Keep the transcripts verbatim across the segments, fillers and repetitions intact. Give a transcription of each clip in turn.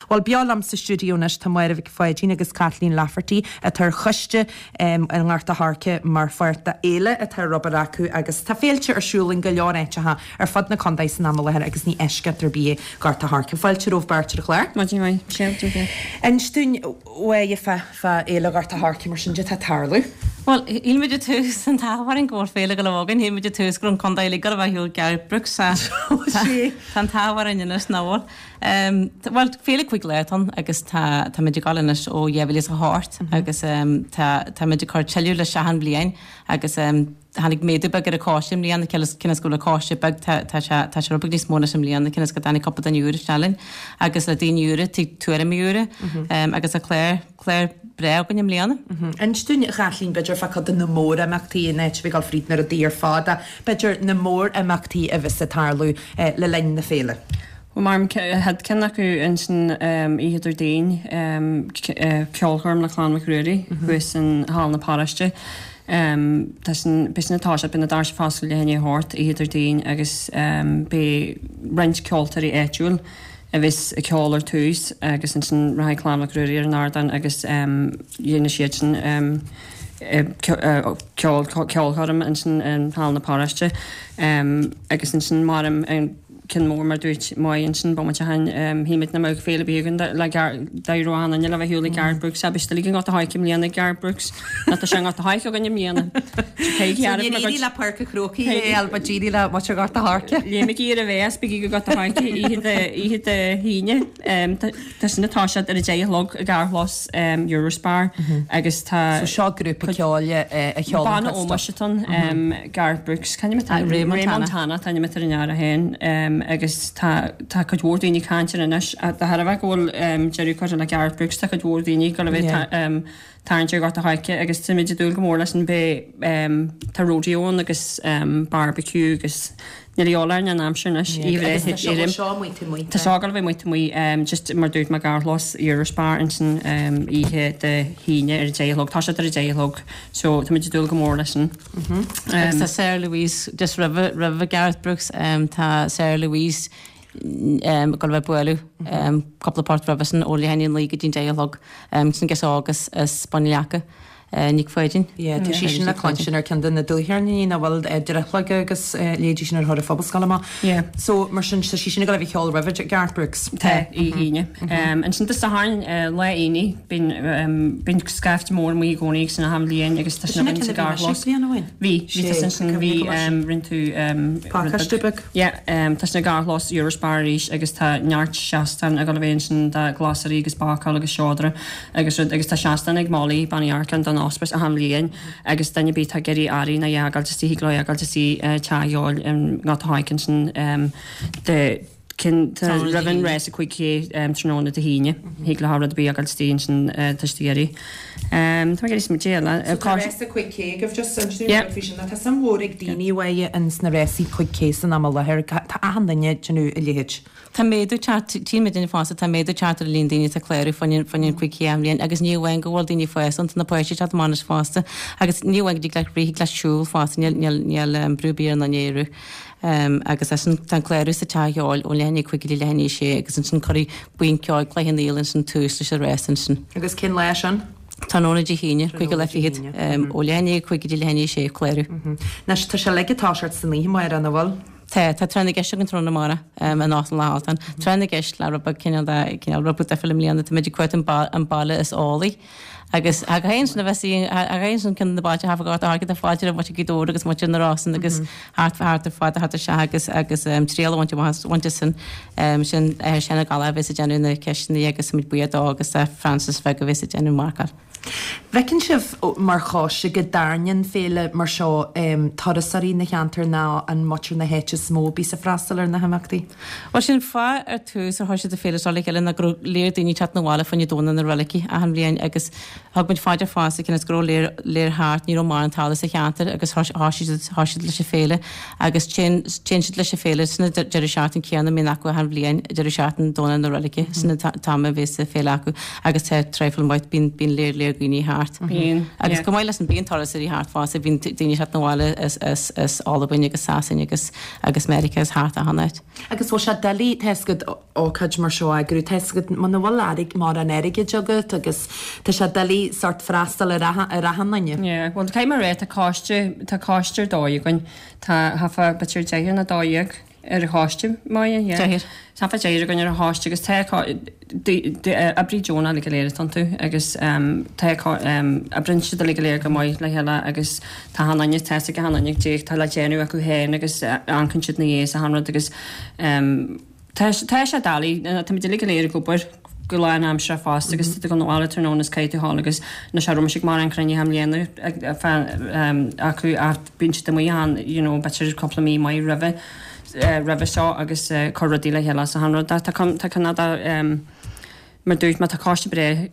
Bhuel beo liom sa stiúideo anois tá Máire Mhic Pháidín agus Kathleen Lafferty atá ar choiste um, an nGort a' Choirce mar pháirt de fhéile atá ar obair acu agus tá féilte ar siúl in go leor áiteacha ar fud na contae san am i láthair agus ní eisceacht ar bith é Gort a' Choirce. Fáilte romhaibh beirt ar an chlár. Maidin mhaith. Inis dúinn uaidh fá fá fhéile Ghort a' Choirce mar sin de tá ag tarlú. Well, shíl muid ar tús an t-ádh go bhfuil féile go againn, shíl muid ar tús go raibh an contae uilig a bheith ar Gareth Brooks tá an t-ádh orainn anois nach bhfuil. Um, well, féile cúig lá atá ann agus tá tá muid ag dul anois ó dhá mhíle is a hocht agus um, tá tá muid ag cur tuilleadh leis achan bhliain agus um, tháinig méadú beag ar an choiste i mbliana cionn is go bhfuil an coiste beag tá tá sé tá sé rud beag níos mó anois i mbliana cionn is go dtáinig cúpla duine úr isteach linn agus le daoine úra tig tuairimí úra um, agus a chlár clár breá againn i mbliana. Inis dúinn a Chaitlín b'fhéidir fá chuid de na mórimeachtaí in áit a bheith ag dul fríd na rudaí ar fad ach b'fhéidir na mórimeachtaí a bheas ag tarlú eh, le linn na féile. Well mar chéad ceann acu ansin oíche Déardaoin ceolchoirm le Clann Mhic Ruairí thuas in Hall na Paróiste. Um, tá sin beidh sin tá beidh na doirse ag oscailt leath i ndiaidh a hocht oíche Déardaoin agus um, beidh roinnt ceoltóirí áitiúil a bheas ag ceol ar tús agus ansin rachaidh Clann Mhic Ruairí ar an ardán agus um, dhéanfaidh siad sin um, ceol ceolchoirm ansin in Hall na Paróiste um, agus ansin mar an ceann mór mar dúirt Máire ansin bomaite ó shin shíl muid nach mbeadh féile ar bith againn le d'éireodh an le bheith le Gareth Brooks agus le Gort a' Choirce i mbliana Gareth Brooks na tá sé Gort a' Choirce againn i mbliana. Ní le Páirc an Chrócaigh é alba díí le mu Gort a' Choirce. Léim ar a bheas bí go Gort a' Choirce oíche Dé hAoine Tá sin tá siad ar a deich a chlog i gcarrchlós Eurospar agus tá So seo grúpa ceoil a cheol Banna ómóis atá ann Gareth Brooks Ray Montana tá ar an ara féin agus tá tá cuid mhór daoine ag caint air anois de thairbhe go bhfuil deireadh curtha le Gareth Brooks tá cuid mhór daoine go bheith tarraingt ar Ghort a' Choirce agus tá muid ag dúil go mór leis an beidh tá rodeo ann agus barbecue agus níl a fhios an aimsir anois Tá seo ag bheith muid muid just mar dúirt mé carrchlós Eurospar ansin oíche Dé hAoine ar a deich a chlog tá siad ar a deich a chlog so tá muid ag dúil go mór leis sin. Agus tá Sarah Louise just roimh roimh Gareth Brooks um, tá Sarah Louise um, go bheith bualadh um, cúpla port roimhe sin ó leath i ndiaidh a naoi go dtí deich a chlog um, sin gas agus is Bunleaca. Uh, Nic Pháidín. Yeah, tá sí sin le cluinstin ar ceann de na dúcheirníní na bhfuil drithlaige agus léidí sin ar thura phobalscoil amach. Yeah. So mar sin tá sí sin ag bheith ceol roimhe Gareth Brooks. Tá í híine. Ansin Dé Sathairn lá Aoine bíonn bíonn scaifte mór amuigh i gcónaí san achan bhliain agus tá sin againn sa gcarrchlós. Bhí bhí tá sin sin bhí rinne tú Pacáiste beag. Yeah, tá sin i gcarrchlós Eurospar arís agus tá neart seastán ag dul a bheith ansin de ghlasraí agus bácáil agus seodra agus rud agus tá seastán ag Molly Bean Uí Earcáin don hospice achan bhliain agus duine ar bith atá ag iarraidh earraí nó a fhágáil istigh thig leo fhágáil istigh teach an cheoil i nGort a' Choirce ansin de cinn roimh an rás a cúig K tráthnóna Dé hAoine thig leo rud ar bith a fhágáil istigh ansin tá siad ag iarraidh. Tá mé ag iarraidh smaointiú eile. So tá rás a cúig K agaibh just ansin faoi sin tá suim mhór ag daoine uaidh ins na rásaí cúig K san am i láthair tá achan duine ag déanamh a leithéid. Tá méadú teacht tchí muid duine fásta tá méadú teacht ar an líon daoine atá ag clárú fá choinne an cúig K achan bhliain agus ní amháin go bhfuil daoine fásta ann tá na páistí ag teacht amach anois fosta agus ní amháin go dtig leat rith thig leat siúl fosta níl níl níl brú ar bith ar an duine é a rith. Um, agus leis an tá an clárú sa teach ceoil ó leath i ndiaidh a cúig go dtí leath i ndiaidh a sé agus ansin cuirfidh buíon ceoil Cloich Cheann Fhaola ansin tús leis an rás ansin. Agus cén lá sin? Tráthnóna Dé hAoine, cúig go leith fichead, um, ó leath i ndiaidh a cúig go dtí leath i ndiaidh a sé clárú. Anois tá sé uilig ag toiseacht san oíche Máire an bhfuil? Tá, tá tráth na gceist againn tráthnóna amárach um, in Óstán Loch Altan. Tráth na gceist le rud beag cineál de cineál rud beag difriúil i mbliana, tá muid ag cuartú an ba- an baile is eolaí. Agus a ghain sin a bheith a ghain sin ceann na bailte thart fá Ghort a' Choirce tá fáilte roimh muintir Ghaoth Dobhair agus muintir na Rosann agus thart thart ar fad thart ar seo agus agus um, triail a bhaint amach bhaint as sin um, sin uh, Seán Ó Gallchóir a bheas ag déanamh na ceisteanna agus muid buíoch dó agus uh, Francis Bheag a bheas ag déanamh marcáil. Bhfeiceann sibh mar choiste go dtarraingíonn féile mar seo um, turasóirí na cheantar ná an muintir na háite is mó a bhíos ag freastal ar na himeachtaí? Well sin fáth ar tús ar thoisigh an féile seo le chéile ná go raibh léir daoine teacht na bhaile fá choinne Domhnach na Reilige achan bhliain agus thug muid faoi deara fosta cionn is go raibh léir léir thart ní raibh mórán talamh sa cheantar agus thoisigh siad thoisigh siad leis an féile agus téann téann siad leis an féile sna deireadh seachtain céanna a mbíonn acu achan bhliain deireadh seachtain Domhnach na Reilige sin an t-am a bheas an féile acu agus tá traidhfil maith bíonn bíonn léir léir dhaoine thart. Bíonn, Agus yeah. chomh maith leis an bíonn turasóirí thart fosta, bíonn daoine ag teacht 'na bhaile as as as Albain agus Sasain agus agus Meiriceá is thart achan áit. Agus bhfuil sé doiligh tá a fhios agat ócáid mar seo a eagrú, tá a fhios agat muna bhfuil airg mórán airgid agat agus tá sé doiligh sort freastal ar achan ar achan duine. Yeah, well caithfidh mé a rá tá coiste tá coiste ar dóigh againn. Tá thart fá b'fhéidir deichniúr nó dó dhéag ar an choiste maith, yeah. Deichniúr. Tá thart fá deichniúr againn ar an choiste agus tá oibrí deonach uilig go léir atá iontu agus tá oibríonn siad uilig go léir go maith le chéile agus tá achan duine tá a fhios ag achan duine goidé tá le déanamh acu féin agus amharcann siad ina dhiaidh is achan rud agus tá tá sé doiligh táimid uilig go léir ag obair go lánaimseartha fosta agus tá tú ag dul abhaile tráthnóna is caithfidh tú a ghabháil agus na sé raibh ag mar an cruinnithe i mbliana acu ach bíonn siad amuigh ann you know b'fhéidir cúpla mí maith roimhe roimhe seo agus cur rudaí le chéile is achan rud tá tá cineál de mar dúirt mé tá coiste breá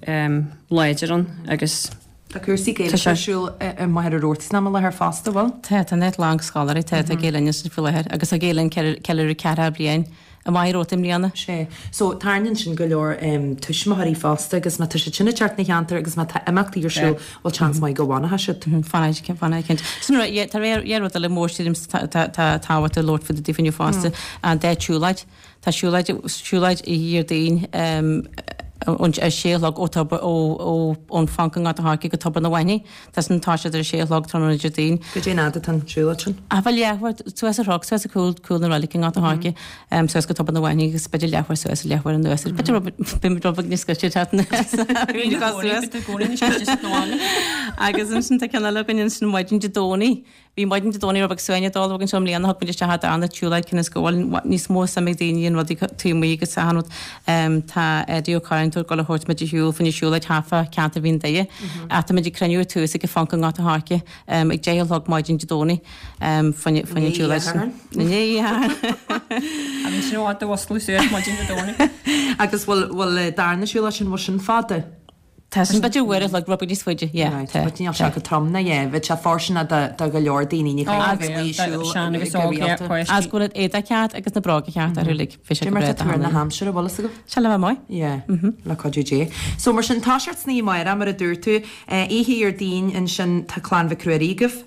láidir ann agus Tá cúrsaí Gaeilge ar siúl i Machaire Rabhartaigh san am i láthair fosta, bhfuil? Tá, tá neart lán scoláirí, tá, tá Gael Linn ansin faoi láthair agus tá Gael Linn ceiliúradh ceathracha bliain i Machaire Rabhartaigh i mbliana. Sea. So, tarraingíonn sin go leor tuismitheoirí fosta agus má tá siad sin ag teacht 'na cheantar agus má tá imeachtaí ar siúl, bhfuil seans maith go bhfanfaidh siad. Fanfaidh, fanfaidh cinnte. Sin rud, yeah, tá dhá rud eile mór sílim tá tábhacht a labhairt faoi daofa inniu fosta, an dá tsiúlóid. Tá siúlóid, siúlóid oíche Dhéardaoin ón a sé a chlog ó tobar, ó, ó, ón Phonc i nGort an Choirce go Tobar na Maithní. Tá san toiseacht ar a sé a chlog tráthnóna Déardaoin. Goidé an fhad atá an siúlóid sin? Ah bhuel leathuair, suas an chnoc, suas ag cúl, cúl na roilige i nGort an Choirce, suas go Tobar na Maithní agus b'fhéidir leathuair suas, leathuair anuas. B'fhéidir rud, b'fhéidir rud beag níos gaiste teacht anuas. Agus ansin tá ceann eile againn ansin maidin Dé Domhnaigh. Bhí maidin Dé Domhnaigh rud beag suaimhneach dall againn seo i mbliana, thug muid isteach an darna tsiúlóid cionn is go bhfuil níos mó suim ag daoine in rudaí taobh amuigh agus achan rud. Tá Eddie Ó Curráin ag dul a thabhairt muid ar shiúl fá choinne siúlóid thart fá ceantar Mhín Doire. Ach tá muid ag cruinniú ar tús ag an Phonc i nGort an Choirce ag deich a chlog maidin Dé Domhnaigh fá choinne an tsiúlóid sin. Inné Oíche Shathairn. A bhí sin i bhfad do mhusclú suas maidin Dé Domhnaigh. Agus bhfuil bhfuil darna siúlóid sin bhfuil sin fada? Tá sin b'fhéidir uair a chloig rud beag níos faide, yeah. Right, but níl sé go trom ná yeah, bheadh sé fóirsteanach do do go leor daoine, ní Oh, bheadh, siúl sean agus óg, yeah, páistí. Agus go bhfuil éadaí ceart agus na bróga ceart orthu uilig, bheadh sé Cé go mar breá tá tuar na do haimsire, bhfuil fhios agat? Sé le bheith maith. Yeah, le cuidiú Dé. So mar sin, toiseacht san oíche amárach, mar a dúirt tú, eh, oíche Dhéardaoin ansin tá Clann Mhic Ruairí agaibh.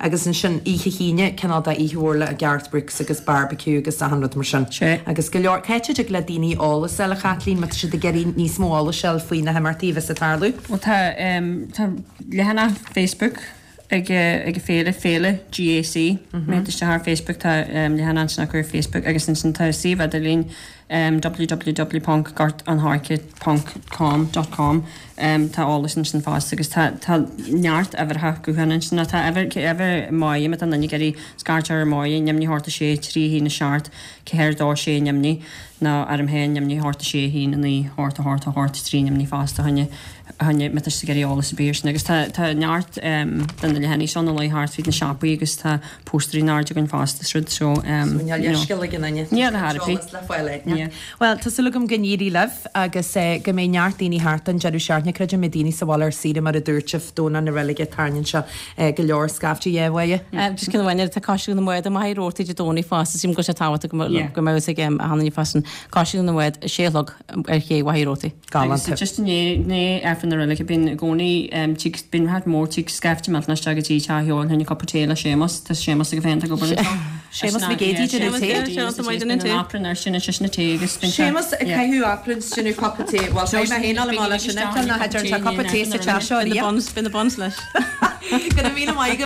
Agus ansin oíche hAoine, cineál de oíche mhór le Garth Brooks agus barbecue agus achan rud mar sin. Sea. Agus go leor, cá háit a dtig le daoine eolas a fháil, a Chaitlín, má tá siad ag iarraidh níos mó eolais a fháil faoi na himeachtaí a bheas ag tarlú? Bhuel tá, tá leathanach Facebook ag ag an féile, Féile GAC. Má théann tú isteach ar Facebook tá leathanach ansin acu ar Facebook agus ansin tá suíomh idirlín www ponc gort an choirce ponc com dot com tá eolas ansin fosta agus tá tá neart uimhreacha gutháin ansin nó tá uimhir uimhir Máire má tá duine ag iarraidh scairt ar Máire neamhní hocht a sé trí haon a seacht ceathair dó sé neamhní nó orm féin neamhní hocht a sé haon a naoi hocht a hocht a hocht trí neamhní fosta choinne choinne má tá siad ag iarraidh eolas ar bith air sin agus tá tá neart de na leathanaigh seo ina luí thart fríd na siopaí agus tá póstaerí in airde againn fosta is rud so So níl leithscéal ag aon duine. Níl ar bith. Eolas le fáil ag. Bhuel, tá súil agam go n-éirí libh agus go mbeidh neart daoine thart an deireadh seachtaine. Creidim go mbeidh daoine sa bhaile ar saoire mar a dúirt sibh, Domhnach na Reilige, tarraingíonn seo go leor scaifte yeah uaidh. Just ceann amháin eile, tá Coiscéim na mBád i Machaire Rabhartaigh Dé Domhnaigh fosta, sílim go bhfuil sé tábhachtach go mbeadh fhios ag achan duine freisin. Coiscéim na mBád, a sé a chlog ar ché Mhachaire Rabhartaigh. Galánta. Agus just i ndiaidh Aifreann na Reilige, bíonn i gcónaí tig, bíonn ráit mór tig scaifte millteanach isteach go dtí teach Sheáin fá choinne cupa tae le Séamus, tá Séamus aige féin atá ag obair anseo. Séamus Mac Géidigh, déanamh tae. Séamus Mac Géidigh, déanamh aifreann air sin, is sin tae agus bíonn sé. Séamus ag caitheamh aifrinn is déanamh cupa tae. Bhuel, beidh mé féin á lá leis sin, nach dtearn sé cupa tae sa teach seo Bíonn na buns, bíonn na buns leis. Go raibh míle maith agat.